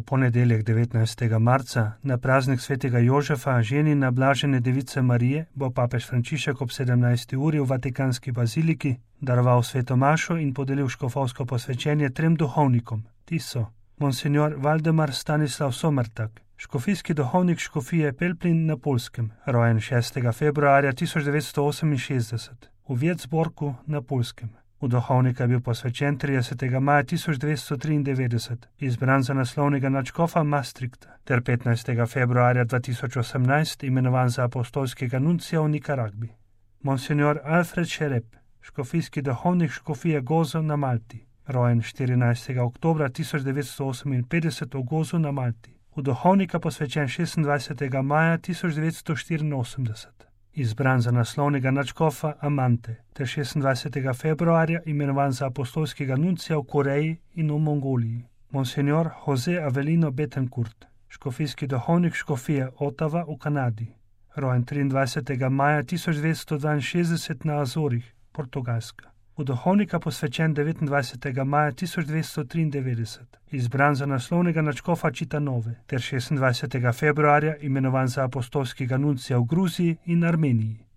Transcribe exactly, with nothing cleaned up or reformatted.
V ponedeljek devetnajstega marca, na praznik svetega Jožefa, ženina blažene device Marije, bo papež Frančišek ob sedemnajsti uri v Vatikanski baziliki daroval sveto mašo in podelil škofovsko posvečenje trem duhovnikom. Ti so monsignor Valdemar Stanislav Sommertak, škofijski duhovnik škofije Pelplin na Poljskem, rojen šestega februarja tisoč devetsto oseminšestdeset v Věcborku na Poljskem. V duhovnika je bil posvečen tridesetega maja tisoč devetsto triindevetdeset, izbran za naslovnega nadškofa Maastrichta, ter petnajstega februarja dva tisoč osemnajst imenovan za apostolskega nuncija v Nikaragvi. Monsignor Alfred Šerep, škofijski duhovnik škofije Gozo na Malti, rojen štirinajstega oktobra tisoč devetsto oseminpetdeset v Gozu na Malti, v duhovnika posvečen šestindvajsetega maja tisoč devetsto štiriinosemdeset. Izbran za naslovnega nadškofa Amante, ter šestindvajsetega februarja imenovan za apostolskega nuncija v Koreji in v Mongoliji. Monsignor Jose Avelino Betancourt, škofijski duhovnik škofije Ottawa v Kanadi, rojen triindvajsetega maja tisoč devetsto dvainšestdeset na Azorih, Portugalska. V duhovnika posvečen devetindvajsetega maja tisoč devetsto triindevetdeset, izbran za naslovnega nadškofa Čitanove, ter šestindvajsetega februarja imenovan za apostolskega nuncija v Gruziji in Armeniji.